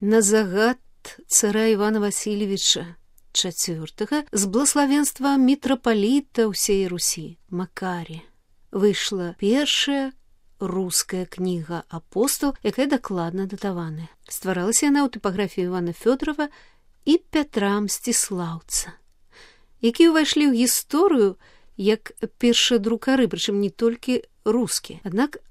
на загад цара Івана Васильевича IV з благословенства мітрапаліта ўсей Русі Макарія выйшла першая руская кніга «Апостол», якая дакладна датаваная. Стваралася яна ў тыпаграфіі Івана Фёдорова і Пятра Мсціслаўца, якія ўвайшлі ў гісторыю як першадрукары, прычым не толькі рускія. Аднак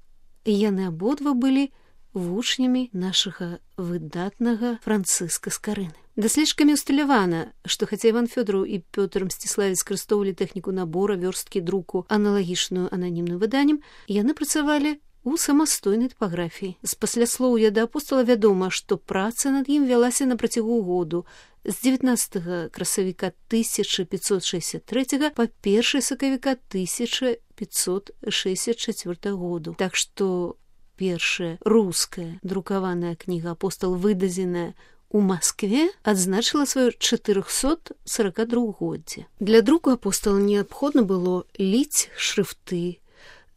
яны абодва былі вучнямі нашага выдатнага Францыска Скарыны. Даследчыкамі ўсталявана, што хаця Іван Фёдораў і Пётр Мсціславец скарыстоўвалі тэхніку набора, вёрсткі, друку, аналагічную ананімным выданнем, яны працавалі у самастойнай тыпаграфіі. З пасляслоўя да апостола вядома, што праца над ім вялася на працягу году з 19 красавіка 1563 па 1 сакавіка 1564 году. Так што першая руская друкаваная кніга «Апостол», выдадзеная у Маскве, адзначыла сваё 442годдзе. Для друку «Апостола» неабходна было ліць шрыфты,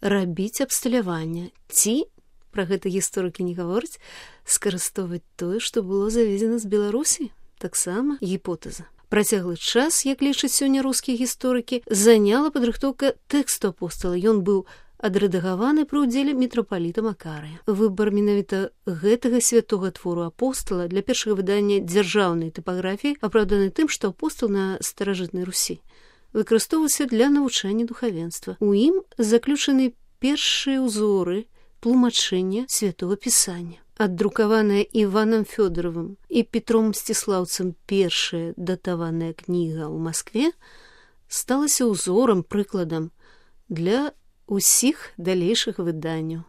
рабіць абсталяванне ці, пра гэта гісторыкі не гавораць, скарыстоўваць тое, што было завезена з Беларусі. Таксама гіпотэза. Працяглы час, як лічаць сёння рускія гісторыкі, заняла падрыхтоўка тэксту «Апостола». Ён быў адрэдагаваны пры ўдзеле мітрапаліта Макарыя. Выбар менавіта гэтага святога твору «Апостола» для першага выдання дзяржаўнай тыпаграфіі апраўданы тым, што «Апостол» на старажытнай Русі выкарыстоўваўся для навучання духавенства. У ім заключаны першыя ўзоры тлумачэння святого пісання. Аддрукаваная Іванам Фёдоровым і Петром Мсціслаўцам першая датаваная кніга ў Маскве сталася ўзорам, прыкладам для усіх далейшых выданняў.